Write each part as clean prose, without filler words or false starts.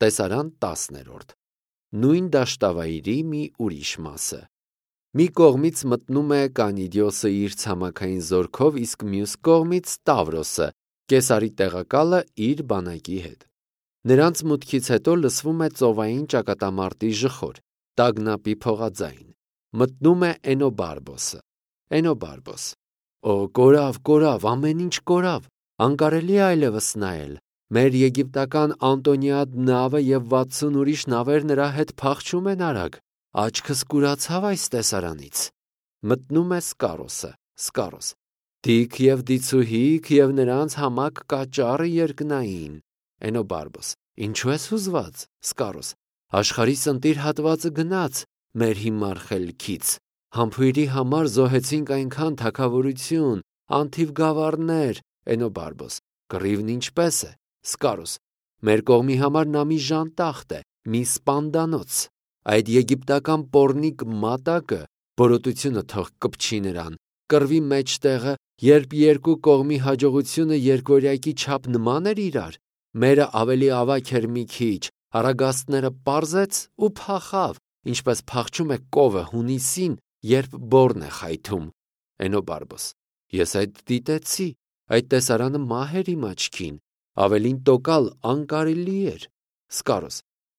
Տեսարան 10-րդ։ Նույն դաշտավայրի մի ուրիշ մասը։ Մի կողմից մտնում է Կանիդիոսը իր ցամաքային զորքով, իսկ մյուս կողմից Տավրոսը, Կեսարի տեղակալը, իր բանակի հետ։ Նրանց մուտքից հետո լսվում է ծովային ճակատամարտի ժխոր, տագնապի փողաձայն։ Մտնում է Էնոբարբոսը։ Էնոբարբոս. Օ, կորավ, ամեն ինչ կորավ, անկարելի է այլևս նայել։ Մեր եգիպտական Անտոնիադ նավը եւ 60 ուրիշ նավեր նրա հետ փախչում են արագ։ Աչքս կուրացավ այս տեսարանից։ Մտնում է Սկարոսը։ Սկարոս. Դիք եւ դիցուհիք եւ նրանց համակ կաճառը երկնային։ Էնոբարբոս. Ինչու ես հուզված։ Սկարոս. Աշխարհի սնտիր հատվածը գնաց մեր հիմար խելքից։ Համբույրի համար զոհեցինք այնքան թագավորություն, անթիվ գավառներ։ Էնոբարբոս. Կռիվն ինչպես է։ Սկարոս. Մեր կողմի համար նա մի ժանտախտ է, մի սպանդանոց։ Այդ եգիպտական պոռնիկ մատակը, բորոտությունը թող կպչի նրան, կռվի մեջտեղը, երբ երկու կողմի հաջողությունը երկվորյակի չափ նման էր իրար, մերը ավելի ավագ էր մի քիչ, առագաստները պարզեց ու փախավ, ինչպես փախչում է կովը հունիսին, երբ բոռն է խայթում։ Էնոբարբոս. Ես այդ դիտեցի, այդ տեսարանը մահ էր իմ աչքին, ավելին տոկալ անկարելի էր։ Սկարոս.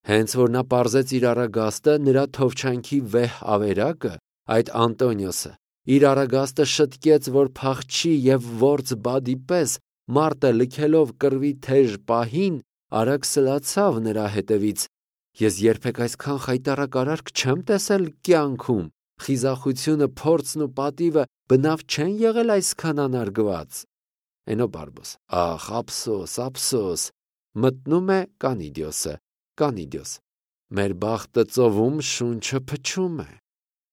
Հենց որ նա պարզեց իր առագաստը, նրա թովչանքի վեհ ավերակը, այդ Անտոնիոսը, իր առագաստը շտկեց, որ փախչի եւ որց բադի պես, մարտը լքելով կռվի թեժ պահին, արագ սլացավ նրա հետևից։ Ես երբեք այսքան խայտառակ արարք չեմ տեսել կյանքում։ Խիզախությունը, փորձն ու պատիվը բնավ չեն եղել այսքան անարգված։ Էնոբարբոս. Ախ, ափսոս, ափսոս։ Մտնում է Կանիդիոսը։ Կանիդիոս. Մեր բախտը ծովում, շունչը փչում է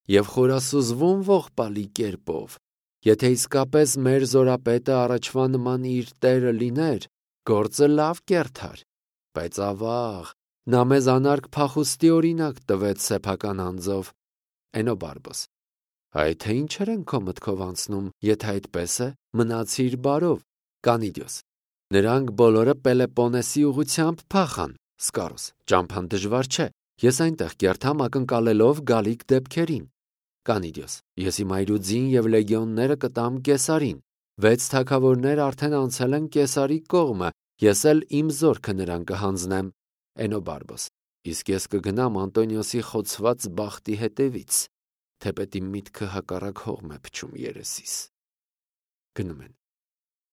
եւ խորասուզվում ողբալի կերպով։ Եթե իսկապես մեր զորապետը առաջվա նման իր տերը լիներ, գործը լավ կերթար, բայց ավաղ, նա մեզ անարգ փախուստի օրինակ տվեց սեփական անձով։ Էնոբարբոս. Այ թե ինչեր են քո մտքով անցնում, եթե այդպես է, մնացիր բարով։ Կանիդիոս. Նրանք բոլորը Պելեպոնեսի ուղությամբ փախան։ Սկարոս. Ճամփան դժվար չէ, ես այնտեղ կերթամ ակնկալելով գալիք դեպքերին։ Կանիդիոս. Ես իմ այրուձին եւ լեգիոնները կտամ Կեսարին։ 6 թագավորներ արդեն անցել են Կեսարի կողմը, ես էլ իմ զորքը նրան կհանձնեմ։ Էնոբարբոս. Իսկ ես կգնամ Անտոնիոսի խոցված բախտի հետևից, թեպետ իմ միտքը հակառակ հողմ է փչում երեսիս։ Գնում են։